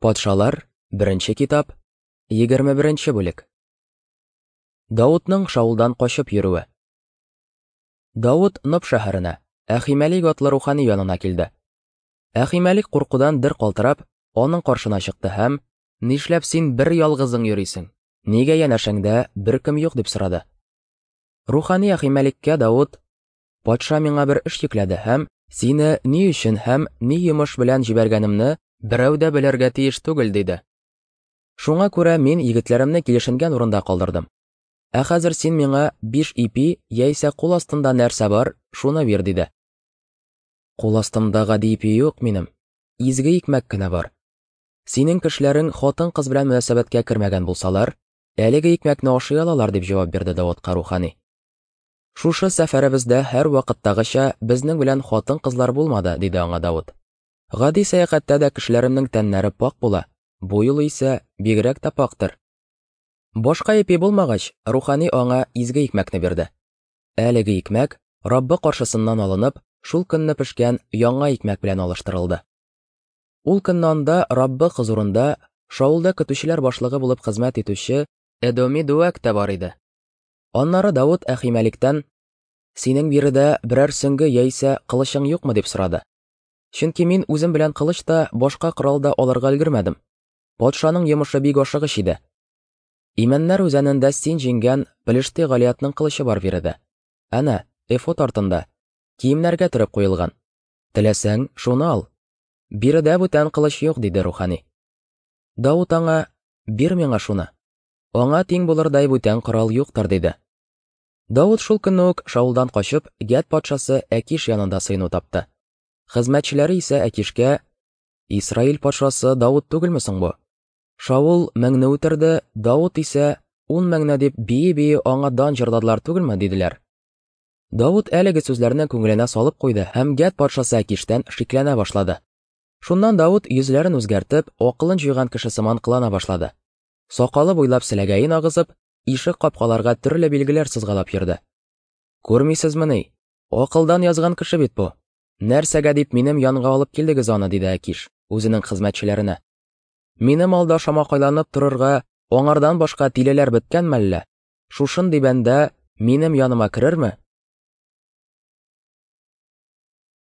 Патшалар, беренче китап, 21 бүлек. Давытның Шаулдан качып йөрүе. Давыт Ноб шәһәренә, Әхимәлик атлы рухани янына килде. Әхимәлик куркудан дер калтырап, аның каршына чыкты һәм: "Нишләп син бер ялгызың йөрисең? Нигә янәшәңдә беркем юк?" дип сорады. Рухани Әхимәликкә Давыт: Патша миңа бер эш йөкләде һәм сине ни өчен һәм ни йомыш белән җибәргәнемне берәү дә белергә тиеш түгел, диде. Шуңа күрә мин егетләремне килешенгән урында калдырдым. Ә хәзер син миңа биш ипи яисә кул астында нәрсә бар, шуны бир, диде. Кул астымда гади ипи юк минем, изге икмәк кенә бар. Синең кешеләрең хатын-кыз белән мөнәсәбәткә кермәгән булсалар, әлеге икмәкне ашый алалар, дип җавап бирде Давытка рухани. Шушы сәфәребездә һәрвакыттагыча безнең белән хатын-кызлар булмады, диде аңа Давыт. Гади сәяхәттә дә кешеләремнең тәннәре пакь була, бу юлы исә бигрәк тә пакьтыр. Башка ипи булмагач, рухани аңа изге икмәкне бирде. Әлеге икмәк, Раббы каршысыннан алынып, шул көнне пешкән яңа икмәк белән алыштырылды. Ул көнне анда Раббы хозурында Шаулда көтүчеләр башлыгы булып хезмәт итүче Эдоми Дуәк тә бар иде. Аннары Давыт Әхимәликтән, Синең биредә берәр сөңге яисә кылычың юкмы дип сорады. Чөнки мин үзем белән кылыч та, башка корал да алырга өлгермәдем. Патшаның йомышы бик ашыгыч иде. Имәннәр үзәнендә син җиңгән Пелешти Галиятның кылычы бар биредә. Әнә, эфод артында, киемнәргә төреп куелган. Теләсәң, шуны ал. Биредә бүтән кылыч юк, диде рухани. Давыт аңа, Бир миңа шуны. Аңа тиң булырдай бүтән корал юктыр, диде. Давыт шул көнне үк Шаулдан качып, Гәт патшасы Әкиш янында сыену тапты. Хезмәтчеләре исә Әкишкә, Исраил патшасы Давыт түгелме соң бу? Шаул меңне үтерде, Давыт исә ун меңне дип бии-бии аңа дан җырладылар түгелме, диделәр. Давыт әлеге сүзләрне күңеленә салып куйды һәм Гәт патшасы Әкиштән шикләнә башлады. Шуннан Давыт йөзләрен үзгәртеп, акылын җуйган кеше сыман кылана башлады. Сакалы буйлап селәгәен агызып, ишек капкаларга төрле билгеләр сызгалап йөрде. Күрмисезмени? Акылдан язган кеше бит бу. Нәрсәгә дип минем янга алып килдегез аны, диде Әкиш үзенең хезмәтчеләренә. Минем алда шамакайланып торырга аңардан башка тилеләр беткән мәллә? Шушындый бәндә минем яныма керерме?